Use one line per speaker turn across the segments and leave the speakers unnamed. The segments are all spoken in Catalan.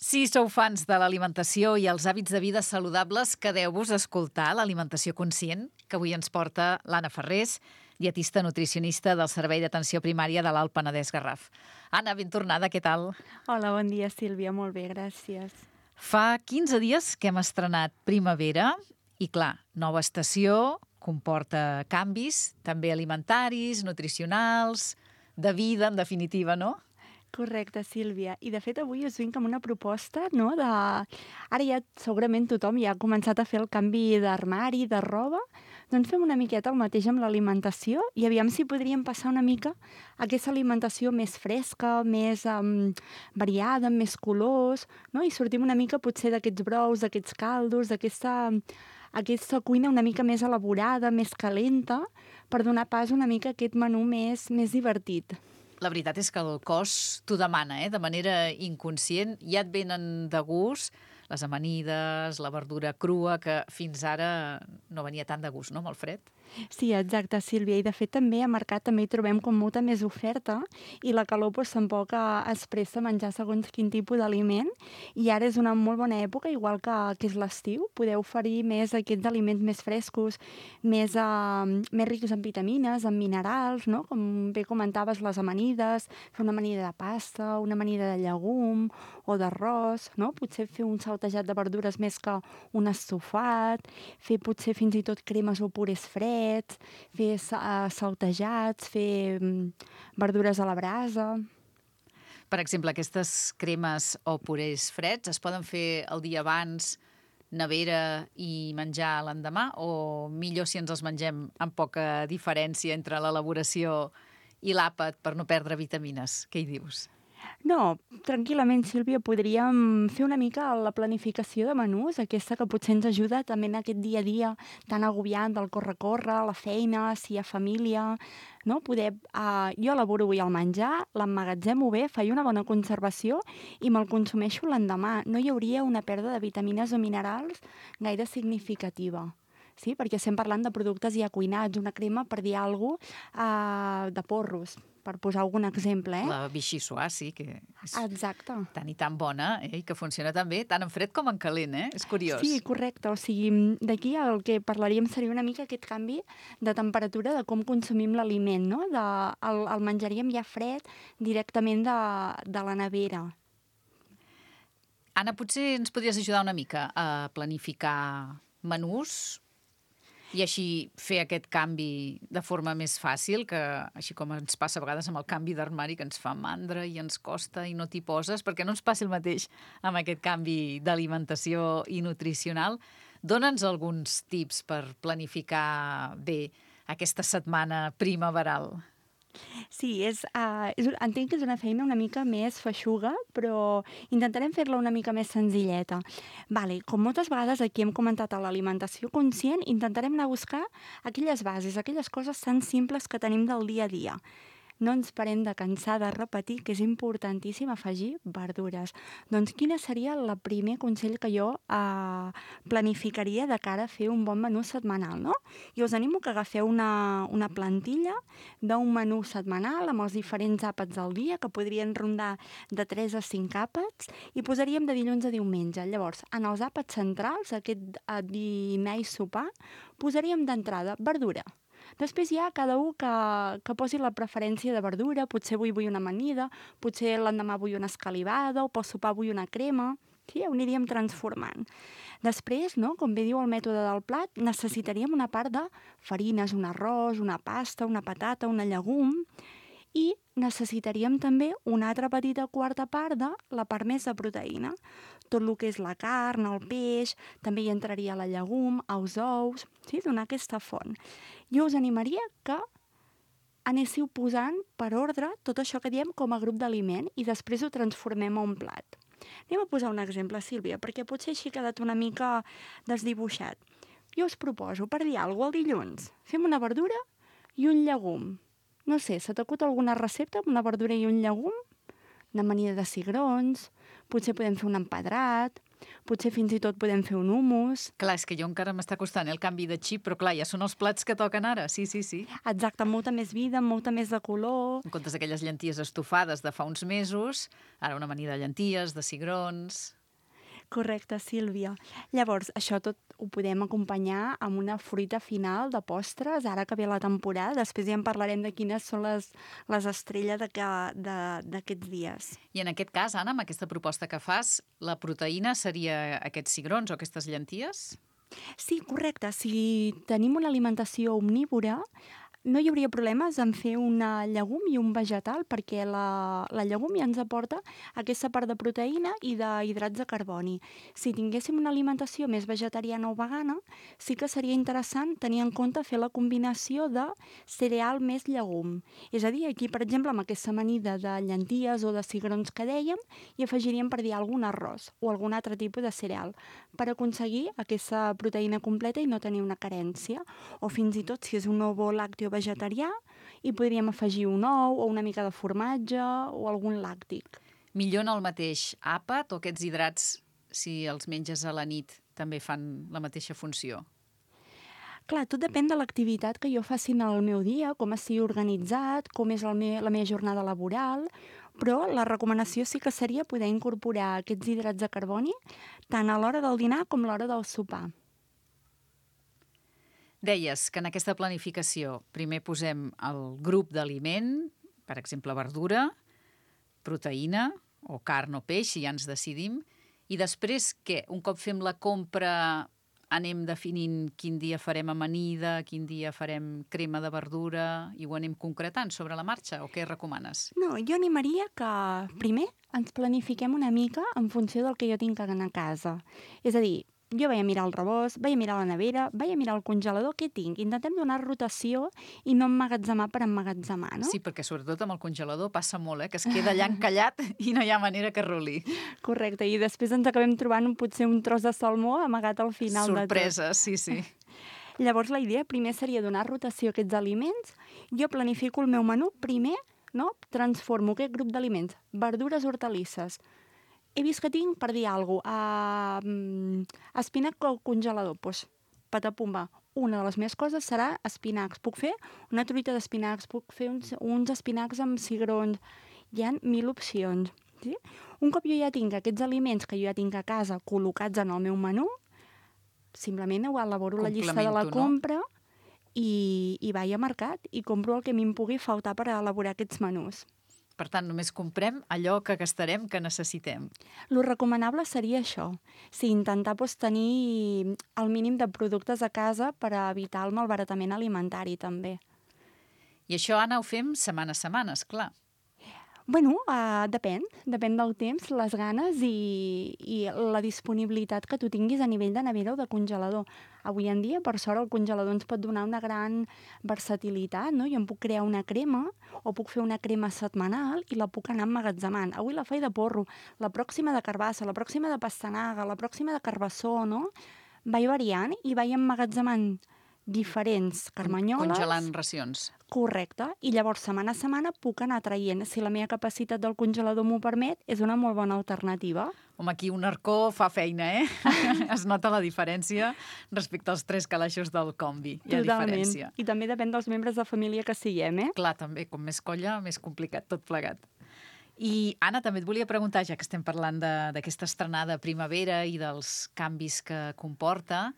Si sou fans de l'alimentació i els hàbits de vida saludables, quedeu-vos a escoltar l'Alimentació Conscient, que avui ens porta l'Anna Ferrés, dietista nutricionista del Servei d'Atenció Primària de l'Alt Penedès Garraf. Anna, ben tornada, què tal?
Hola, bon dia, Sílvia, molt bé, gràcies.
Fa 15 dies que hem estrenat primavera i, clar, nova estació comporta canvis, també alimentaris, nutricionals, de vida, en definitiva, no?
Correcte, Sílvia. I, de fet, avui us vinc amb una proposta, no?, de... Ara ja segurament tothom ja ha començat a fer el canvi d'armari, de roba, doncs fem una miqueta el mateix amb l'alimentació i aviam si podríem passar una mica a aquesta alimentació més fresca, més variada, amb més colors, no?, i sortim una mica potser d'aquests brous, d'aquests caldos, aquesta cuina una mica més elaborada, més calenta, per donar pas una mica a aquest menú més divertit.
La veritat és que el cos t'ho demana, de manera inconscient. Ja et venen de gust les amanides, la verdura crua, que fins ara no venia tant de gust, no?, amb el fred.
Sí, exacte, Sílvia. I, de fet, també al mercat també hi trobem com molta més oferta i la calor doncs, tampoc es presta a menjar segons quin tipus d'aliment. I ara és una molt bona època, igual que és l'estiu. Podeu oferir més aquests aliments més frescos, més rics en vitamines, en minerals, no? Com bé comentaves, les amanides, fer una amanida de pasta, una amanida de llegum o d'arròs, no? Potser fer un saltejat de verdures més que un estofat, fer potser fins i tot cremes o purés freds, fer saltejats, fer verdures a la brasa.
Per exemple, aquestes cremes o purés freds es poden fer el dia abans, nevera i menjar l'endemà, o millor si ens els mengem amb poca diferència entre l'elaboració i l'àpat per no perdre vitamines? Què hi dius?
No, tranquil·lament, Sílvia, podríem fer una mica la planificació de menús, aquesta que potser ens ajuda també en aquest dia a dia tan agobiant del córrer-córrer, la feina, si hi ha família, no? Jo elaboro avui el menjar, l'emmagatzemo bé, faig una bona conservació i me'l consumeixo l'endemà. No hi hauria una pèrdua de vitamines o minerals gaire significativa. Sí, perquè estem parlant de productes ja cuinats, una crema, per dir alguna cosa, de porros, per posar algun exemple,
La Vichy Soir, sí, que és
exacte.
tan i tan bona, i que funciona tan bé, tant en fred com en calent, És curiós.
Sí, correcte. O sigui, d'aquí el que parlaríem seria una mica aquest canvi de temperatura de com consumim l'aliment, no? El menjaríem ja fred directament de la nevera.
Anna, potser ens podries ajudar una mica a planificar menús i així fer aquest canvi de forma més fàcil, que així com ens passa a vegades amb el canvi d'armari, que ens fa mandra i ens costa i no t'hi poses, perquè no ens passi el mateix amb aquest canvi d'alimentació i nutricional. Dóna'ns alguns tips per planificar bé aquesta setmana primaveral.
Sí, entenc que és una feina una mica més feixuga, però intentarem fer-la una mica més senzilleta. Vale, com moltes vegades aquí hem comentat a l'alimentació conscient, intentarem anar a buscar aquelles bases, aquelles coses tan simples que tenim del dia a dia. No ens parem de cansar de repetir que és importantíssim afegir verdures. Doncs quin seria el primer consell que jo planificaria de cara a fer un bon menú setmanal, no? I us animo que agafeu una plantilla d'un menú setmanal amb els diferents àpats del dia, que podrien rondar de 3 a 5 àpats, i posaríem de dilluns a diumenge. Llavors, en els àpats centrals, aquest dinar i sopar, posaríem d'entrada verdura. Després hi ha cada un que posi la preferència de verdura, potser avui vull una amanida, potser l'endemà vull una escalivada, o pel sopar vull una crema. Sí, ho aniríem transformant. Després, no, com bé diu el mètode del plat, necessitaríem una part de farines, un arròs, una pasta, una patata, una llegum, i necessitaríem també una altra petita quarta part de la part més de proteïna. Tot el que és la carn, el peix, també hi entraria la llegum, els ous, sí, donar aquesta font. Jo us animaria que anéssiu posant per ordre tot això que diem com a grup d'aliment i després ho transformem a un plat. Anem a posar un exemple, Sílvia, perquè potser així ha quedat una mica desdibuixat. Jo us proposo, per dir alguna cosa, el dilluns, fem una verdura i un llegum. No sé, se t'acut alguna recepta amb una verdura i un llegum? Una amanida de cigrons, potser podem fer un empedrat, potser fins i tot podem fer un hummus.
Clar, és que jo encara m'està costant el canvi de xip, però clar, ja són els plats que toquen ara, sí.
Exacte, molta més vida, molta més de color.
En comptes d'aquelles llenties estofades de fa uns mesos, ara una amanida de llenties, de cigrons...
Correcte, Sílvia. Llavors, això tot ho podem acompanyar amb una fruita final de postres, ara que ve la temporada. Després ja en parlarem de quines són les estrelles d'aquests dies.
I en aquest cas, Anna, amb aquesta proposta que fas, la proteïna seria aquests cigrons o aquestes llenties?
Sí, correcte. Si tenim una alimentació omnívora, no hi hauria problemes en fer una llegum i un vegetal, perquè la llegum ja ens aporta aquesta part de proteïna i d'hidrats de carboni. Si tinguéssim una alimentació més vegetariana o vegana, sí que seria interessant tenir en compte fer la combinació de cereal més llegum. És a dir, aquí, per exemple, amb aquesta amanida de llenties o de cigrons que dèiem, hi afegiríem, per dir, algun arròs o algun altre tipus de cereal per aconseguir aquesta proteïna completa i no tenir una carència. O fins i tot, si és un ovo làcteo vegetarià, hi podríem afegir un ou o una mica de formatge o algun làctic.
Millor en el mateix àpat o aquests hidrats, si els menges a la nit, també fan la mateixa funció?
Clar, tot depèn de l'activitat que jo faci en el meu dia, com estigui organitzat, com és la meva jornada laboral, però la recomanació sí que seria poder incorporar aquests hidrats de carboni tant a l'hora del dinar com a l'hora del sopar.
Deies que en aquesta planificació primer posem el grup d'aliment, per exemple, verdura, proteïna o carn o peix, si ja ens decidim, i després què? Un cop fem la compra anem definint quin dia farem amanida, quin dia farem crema de verdura i ho anem concretant sobre la marxa o què recomanes?
No, jo animaria que primer ens planifiquem una mica en funció del que jo tinc a casa. És a dir, jo vaig a mirar el rebost, vaig a mirar la nevera, vaig a mirar el congelador, què tinc? Intentem donar rotació i no emmagatzemar per emmagatzemar, no?
Sí, perquè sobretot amb el congelador passa molt, que es queda allà encallat i no hi ha manera que ruli.
Correcte, i després ens acabem trobant potser un tros de salmó amagat al final de tot.
Sorpresa, sí.
Llavors la idea primer seria donar rotació a aquests aliments. Jo planifico el meu menú primer, no? Transformo aquest grup d'aliments, verdures, hortalisses. He vist que tinc, per dir alguna cosa, espinac al congelador. Doncs, patapumba, una de les meves coses serà espinacs. Puc fer una truita d'espinacs, puc fer uns espinacs amb cigrons. Hi ha 1000 opcions. Sí? Un cop jo ja tinc aquests aliments que jo ja tinc a casa col·locats en el meu menú, simplement elaboro la llista de la compra, no? I vaig a mercat i compro el que a mi em pugui faltar per elaborar aquests menús.
Per tant, només comprem allò que gastarem, que necessitem.
Lo recomanable seria això. Sí, intentar tenir el mínim de productes a casa per evitar el malbaratament alimentari, també.
I això, Anna, ho fem setmana a setmana, esclar.
Bueno, depèn del temps, les ganes i la disponibilitat que tu tinguis a nivell de nevera o de congelador. Avui en dia, per sort, el congelador ens pot donar una gran versatilitat, no? Jo em puc crear una crema o puc fer una crema setmanal i la puc anar emmagatzemant. Avui la faig de porro, la pròxima de carbassa, la pròxima de pastanaga, la pròxima de carbassó, no? Vaig variant i vaig emmagatzemant diferents carmanyoles.
Congelant racions.
Correcte. I llavors, setmana a setmana, puc anar traient. Si la meva capacitat del congelador m'ho permet, és una molt bona alternativa.
Home, aquí un arcó fa feina, Es nota la diferència respecte als 3 calaixos del combi. Hi ha diferència.
I també depèn dels membres de família que siguem,
Clar, també. Com més colla, més complicat tot plegat. I, Anna, també et volia preguntar, ja que estem parlant d'aquesta estrenada primavera i dels canvis que comporta,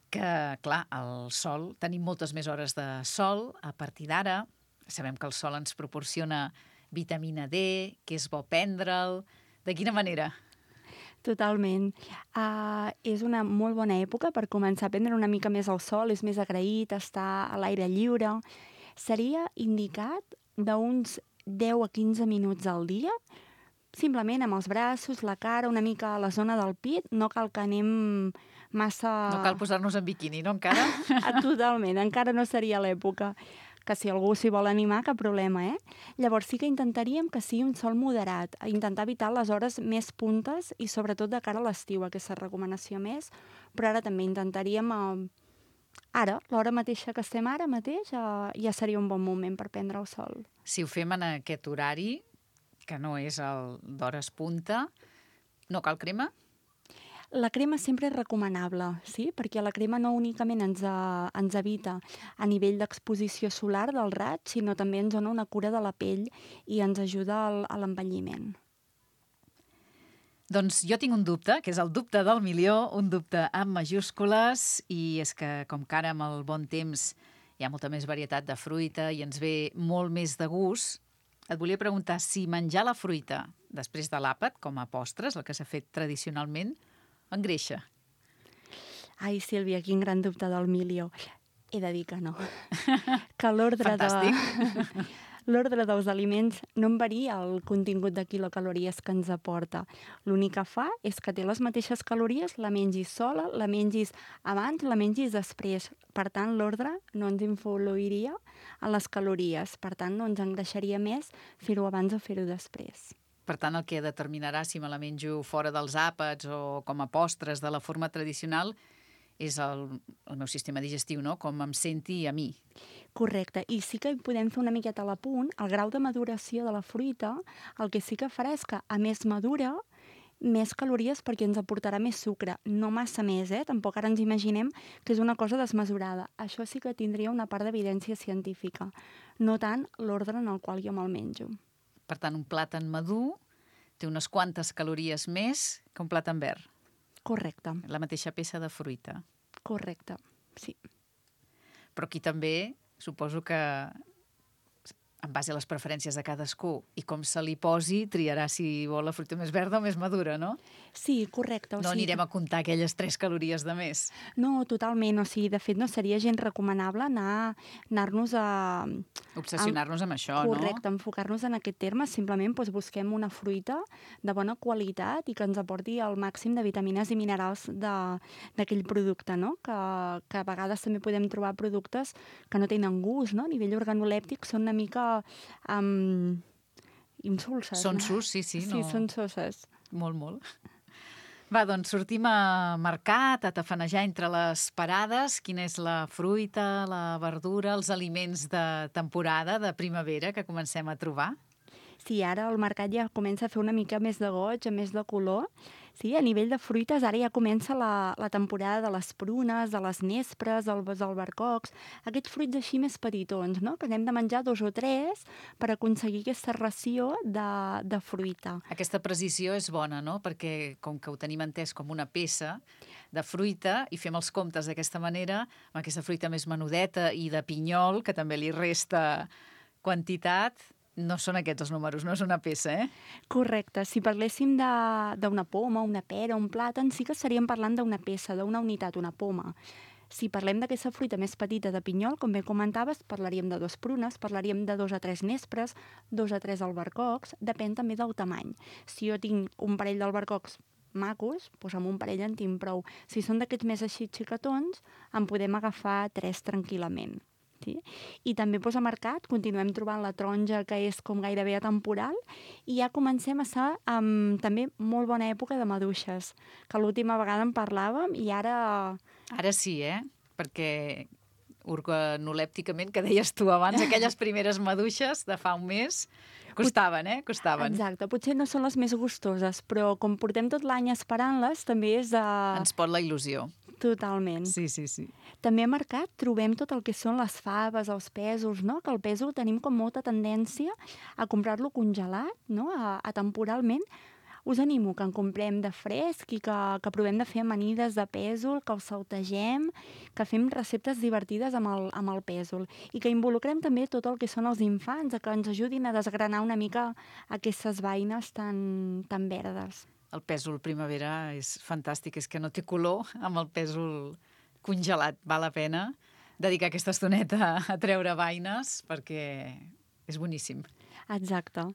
que, clar, el sol, tenim moltes més hores de sol a partir d'ara. Sabem que el sol ens proporciona vitamina D, que és bo prendre'l. De quina manera?
Totalment. És una molt bona època per començar a prendre una mica més el sol, és més agraït estar a l'aire lliure. Seria indicat d'uns 10 a 15 minuts al dia, simplement amb els braços, la cara, una mica a la zona del pit. No cal que anem massa...
No cal posar-nos en biquini, no, encara?
Totalment, encara no seria l'època. Que si algú s'hi vol animar, cap problema, Llavors sí que intentaríem que sigui un sol moderat, intentar evitar les hores més puntes i sobretot de cara a l'estiu, aquesta recomanació més, però ara també intentaríem... Ara, l'hora mateixa que estem ara mateix, ja seria un bon moment per prendre el sol.
Si ho fem en aquest horari, que no és el d'hores punta, no cal crema?
La crema sempre és recomanable, sí? Perquè la crema no únicament ens evita a nivell d'exposició solar del raig, sinó també ens dona una cura de la pell i ens ajuda a l'envelliment.
Doncs jo tinc un dubte, que és el dubte del milió, un dubte amb majúscules, i és que com que ara amb el bon temps hi ha molta més varietat de fruita i ens ve molt més de gust, et volia preguntar si menjar la fruita després de l'àpat, com a postres, el que s'ha fet tradicionalment, engreixa.
Ai, Sílvia, quin gran dubte del milió. He de dir que no. Que
Fantàstic.
l'ordre dels aliments no en varia el contingut de quilocalories que ens aporta. L'únic que fa és que té les mateixes calories, la mengis sola, la mengis abans, la mengis després. Per tant, l'ordre no ens influiria en les calories. Per tant, no ens engreixaria més fer-ho abans o fer-ho després.
Per tant, el que determinarà si me la menjo fora dels àpats o com a postres de la forma tradicional és el meu sistema digestiu, no? Com em senti a mi.
Correcte. I sí que hi podem fer una miqueta a l'apunt. El grau de maduració de la fruita, el que sí que farà és que, a més madura, més calories perquè ens aportarà més sucre. No massa més, Tampoc ara ens imaginem que és una cosa desmesurada. Això sí que tindria una part d'evidència científica. No tant l'ordre en el qual jo me'l menjo.
Per tant, un plàtan madur té unes quantes calories més que un plàtan verd.
Correcte.
La mateixa peça de fruita.
Correcte, sí.
Però aquí també suposo que, en base a les preferències de cadascú i com se li posi, triarà si vol la fruita més verda o més madura, no?
Sí, correcte.
No anirem a comptar aquelles 3 calories de més.
No, totalment. O sigui, de fet, no seria gens recomanable anar-nos a...
Obsessionar-nos amb això, no?
Correcte, enfocar-nos en aquest terme. Simplement busquem una fruita de bona qualitat i que ens aporti el màxim de vitamines i minerals d'aquell producte, no? Que a vegades també podem trobar productes que no tenen gust, no? A nivell organolèptic són una mica insulses.
Són sus, sí.
Sí,
No...
són soses.
Molt, molt. Va, doncs sortim a mercat, a tafanejar entre les parades. Quina és la fruita, la verdura, els aliments de temporada, de primavera, que comencem a trobar?
Sí, ara el mercat ja comença a fer una mica més de goig, més de color. Sí, a nivell de fruites, ara ja comença la temporada de les prunes, de les nespres, dels albercocs, aquests fruits així més petitons, no? Que n'hem de menjar 2 o 3 per aconseguir aquesta ració de fruita.
Aquesta precisió és bona, no? Perquè com que ho tenim entès com una peça de fruita i fem els comptes d'aquesta manera, amb aquesta fruita més menudeta i de pinyol, que també li resta quantitat, no són aquests els números, no és una peça,
Correcte. Si parléssim d'una poma, una pera, un plàtan, sí que estaríem parlant d'una peça, d'una unitat, una poma. Si parlem d'aquesta fruita més petita de pinyol, com bé comentaves, parlaríem de 2 prunes, parlaríem de 2 a 3 nespres, 2 a 3 albercocs, depèn també del tamany. Si jo tinc un parell d'albercocs macos, doncs amb un parell en tinc prou. Si són d'aquests més així xicatons, en podem agafar 3 tranquil·lament. Sí? I també a mercat continuem trobant la taronja, que és com gairebé atemporal, i ja comencem a estar amb també molt bona època de maduixes, que l'última vegada en parlàvem i ara...
Ara sí, perquè organolèpticament, que deies tu abans, aquelles primeres maduixes de fa un mes costaven, Costaven.
Exacte, potser no són les més gustoses, però com portem tot l'any esperant-les, també és de...
Ens pot la il·lusió.
Totalment.
Sí.
També a mercat trobem tot el que són les faves, els pèsols, no? Que el pèsol tenim com molta tendència a comprar-lo congelat, no? A temporalment. Us animo que en comprem de fresc i que provem de fer amanides de pèsol, que el saltegem, que fem receptes divertides amb el pèsol i que involucrem també tot el que són els infants, a que ens ajudin a desgranar una mica aquestes beines tan verdes.
El pèsol primavera és fantàstic, és que no té color amb el pèsol congelat. Val la pena dedicar aquesta estoneta a treure beines perquè és boníssim.
Exacte.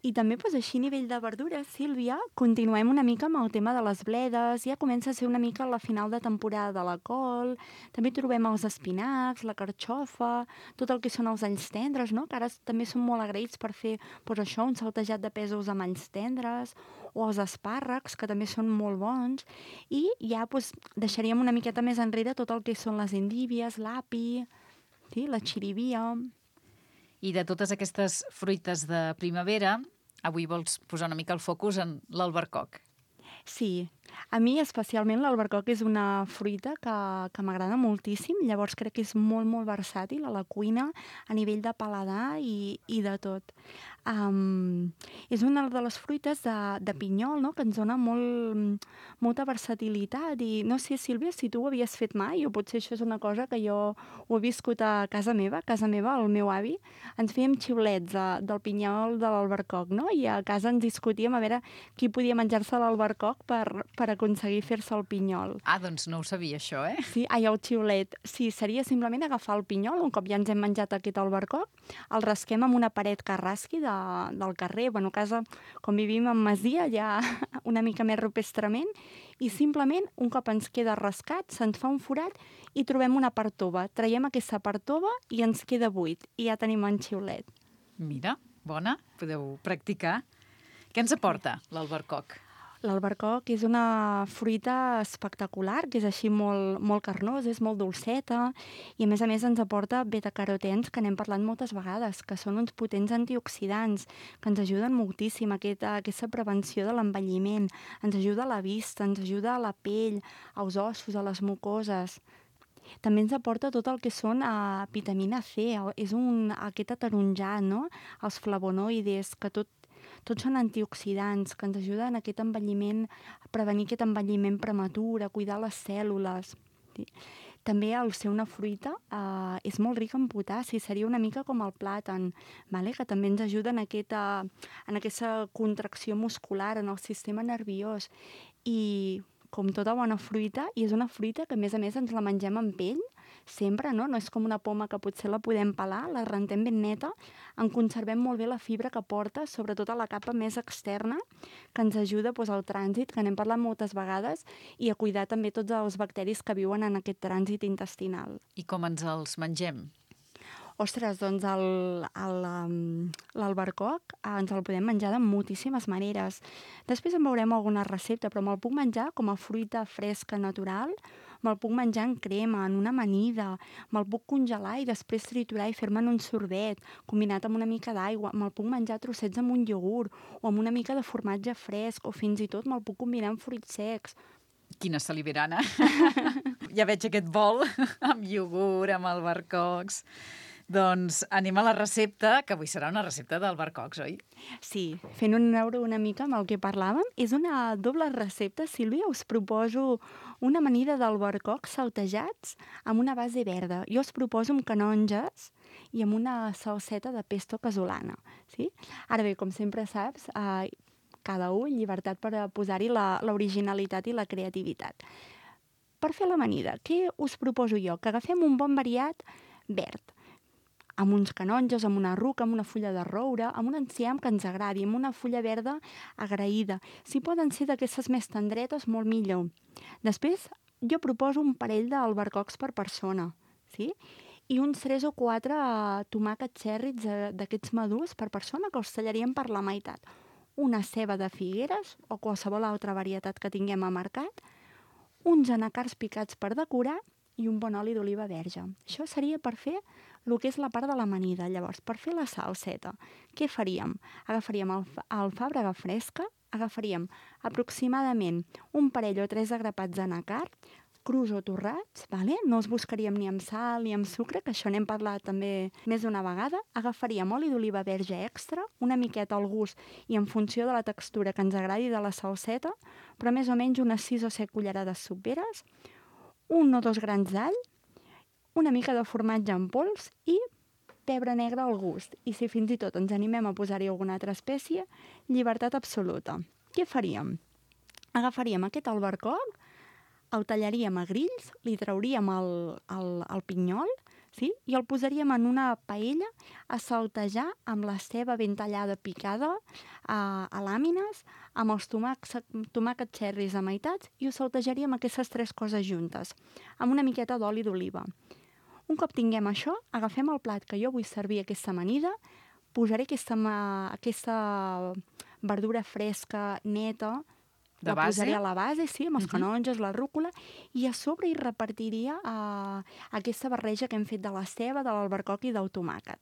I també, així a nivell de verdures, Sílvia, continuem una mica amb el tema de les bledes, ja comença a ser una mica la final de temporada de la col, també trobem els espinacs, la carxofa, tot el que són els alls tendres, no? Que ara també són molt agraïts per fer, això, un saltejat de pèsols amb alls tendres, o els espàrrecs, que també són molt bons, i ja deixaríem una miqueta més enrere tot el que són les endívies, l'api, sí, la xirivia...
I de totes aquestes fruites de primavera, avui vols posar una mica el focus en l'albercoc.
Sí, A mi, especialment, l'albercoc és una fruita que m'agrada moltíssim, llavors crec que és molt, molt versàtil a la cuina, a nivell de paladar i de tot. És una de les fruites de pinyol, no?, que ens dona molta versatilitat i no sé, Sílvia, si tu ho havies fet mai o potser això és una cosa que jo ho he viscut a casa meva. A casa meva, el meu avi, ens fèiem xiulets del pinyol de l'albercoc, no? I a casa ens discutíem a veure qui podia menjar-se l'albercoc per aconseguir fer-se el pinyol.
Ah, doncs no ho sabia, això, eh?
Sí, el xiulet. Sí, seria simplement agafar el pinyol, un cop ja ens hem menjat aquest albercoc, el rasquem amb una paret que rasqui del carrer. Bueno, a casa, com vivim en masia, ja una mica més rupestrament, i simplement, un cop ens queda rascat, se'ns fa un forat i trobem una part tova. Traiem aquesta part tova i ens queda buit, i ja tenim en xiulet.
Mira, bona, podeu practicar. Què ens aporta l'albercoc?
L'albercoc és una fruita espectacular, que és així molt, molt carnosa, és molt dolceta i a més ens aporta betacarotens, que n'hem parlat moltes vegades, que són uns potents antioxidants, que ens ajuden moltíssim a aquesta prevenció de l'envelliment, ens ajuda a la vista, ens ajuda a la pell, als ossos, a les mucoses. També ens aporta tot el que són vitamina C, és aquest ataronjat, no? Els flavonoides, que tots són antioxidants, que ens ajuden a aquest envelliment, a prevenir aquest envelliment prematur, a cuidar les cèl·lules. Sí. També al ser una fruita és molt rica en potassi, seria una mica com el plàtan, vale? Que també ens ajuda en aquesta contracció muscular, en el sistema nerviós. I com tota bona fruita, i és una fruita que a més ens la mengem amb pell, sempre, no? No és com una poma que potser la podem pelar, la rentem ben neta, en conservem molt bé la fibra que porta, sobretot a la capa més externa, que ens ajuda al trànsit, que n'hem parlat moltes vegades, i a cuidar també tots els bacteris que viuen en aquest trànsit intestinal.
I com ens els mengem?
Ostres, doncs l'albercoc ens el podem menjar de moltíssimes maneres. Després en veurem alguna recepta, però me'l puc menjar com a fruita fresca natural, me'l puc menjar en crema, en una amanida, me'l puc congelar i després triturar i fer-me'n un sorbet, combinat amb una mica d'aigua, me'l puc menjar a trossets amb un iogurt, o amb una mica de formatge fresc, o fins i tot me'l puc combinar amb fruits secs.
Quina saliverana! Ja veig aquest bol amb iogurt, amb albercocs. Doncs anem a la recepta, que avui serà una recepta d'albercocs, oi?
Sí, fent un euro una mica amb el que parlàvem, és una doble recepta, Sílvia. Us proposo una amanida d'albercocs saltejats amb una base verda. Jo us proposo amb canonges i amb una salseta de pesto casolana. Sí? Ara bé, com sempre saps, cada un llibertat per posar-hi l'originalitat i la creativitat. Per fer l'amanida, què us proposo jo? Que agafem un bon variat verd, amb uns canonges, amb una ruca, amb una fulla de roure, amb un enciam que ens agradi, amb una fulla verda agraïda. Si poden ser d'aquestes més tendretes, molt millor. Després, jo proposo un parell d'albercocs per persona, sí? I uns 3 o 4 tomàquets cherries d'aquests madurs per persona, que els tallaríem per la meitat. Una ceba de figueres, o qualsevol altra varietat que tinguem a mercat, uns anacards picats per decorar i un bon oli d'oliva verge. Això seria per fer el que és la part de l'amanida. Llavors, per fer la salseta, què faríem? Agafaríem alfàbrega fresca, agafaríem aproximadament un parell o 3 de grapats d'anacard, crus o torrats, vale? No els buscaríem ni amb sal ni amb sucre, que això n'hem parlat també més d'una vegada. Agafaríem oli d'oliva verge extra, una miqueta al gust i en funció de la textura que ens agradi de la salseta, però més o menys unes 6 o 7 cullerades soperes, 1 o 2 grans d'all, una mica de formatge en pols i pebre negre al gust. I si fins i tot ens animem a posar-hi alguna altra espècie, llibertat absoluta. Què faríem? Agafaríem aquest albercoc, el tallaríem a grills, li trauríem el pinyol, sí? I el posaríem en una paella a saltejar amb la ceba ben tallada picada a làmines, amb els tomàquets cherries a meitats, i ho saltejaríem aquestes 3 coses juntes, amb una miqueta d'oli d'oliva. Un cop tinguem això, agafem el plat que jo vull servir aquesta amanida, posaré aquesta verdura fresca, neta,
de
la
base?
Posaré a la base, sí, amb els canonges, la rúcula, i a sobre hi repartiria aquesta barreja que hem fet de la ceba, de l'albercoc i del tomàquet.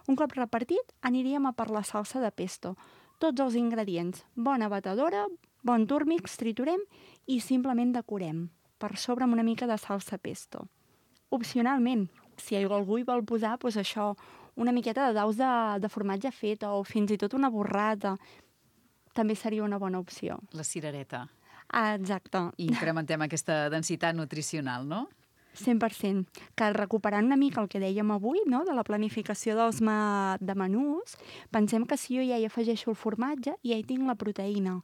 Un cop repartit, aniríem a per la salsa de pesto. Tots els ingredients, bona batedora, bon túrmix, triturem i simplement decorem per sobre amb una mica de salsa pesto. Opcionalment, si algú hi vol posar, doncs això, una miqueta de daus de formatge feta o fins i tot una burrata, també seria una bona opció.
La cirereta.
Exacte.
I incrementem aquesta densitat nutricional, no?
100%. Que recuperant una mica el que dèiem avui, no?, de la planificació de menús, pensem que si jo ja hi afegeixo el formatge, ja hi tinc la proteïna.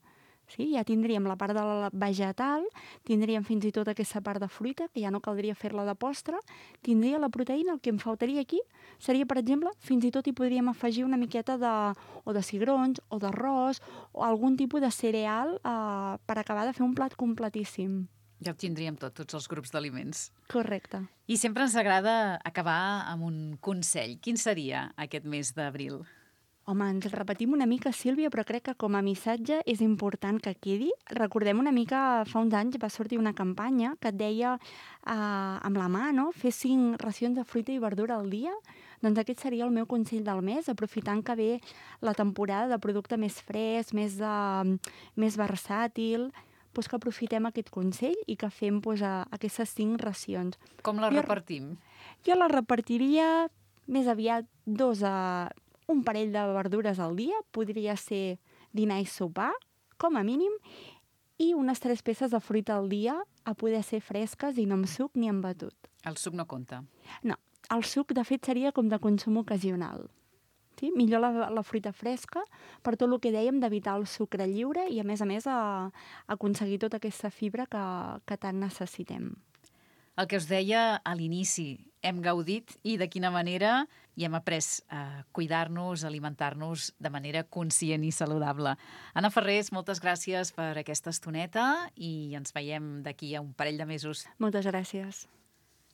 Sí? Ja tindríem la part de la vegetal, tindríem fins i tot aquesta part de fruita, que ja no caldria fer-la de postre, tindria la proteïna, el que em faltaria aquí seria, per exemple, fins i tot hi podríem afegir una miqueta o de cigrons, o d'arròs, o algun tipus de cereal per acabar de fer un plat completíssim.
Ja ho tindríem tots els grups d'aliments.
Correcte.
I sempre ens agrada acabar amb un consell. Quin seria aquest mes d'abril?
Home, ens repetim una mica, Sílvia, però crec que com a missatge és important que quedi. Recordem una mica, fa uns anys va sortir una campanya que et deia amb la mà, no?, fer 5 racions de fruita i verdura al dia. Doncs aquest seria el meu consell del mes, aprofitant que ve la temporada de producte més fresc, més versàtil, doncs que aprofitem aquest consell i que fem aquestes 5 racions.
Com la repartim?
Jo la repartiria més aviat un parell de verdures al dia, podria ser dinar i sopar, com a mínim, i unes 3 peces de fruita al dia, a poder ser fresques i no amb suc ni amb batut.
El suc no compta?
No, el suc de fet seria com de consum ocasional. Sí? Millor la fruita fresca, per tot el que dèiem d'evitar el sucre lliure i a més aconseguir tota aquesta fibra que tant necessitem.
El que us deia a l'inici, hem gaudit i de quina manera i hem après a cuidar-nos, a alimentar-nos de manera conscient i saludable. Anna Ferrés, moltes gràcies per aquesta estoneta i ens veiem d'aquí a un parell de mesos.
Moltes gràcies.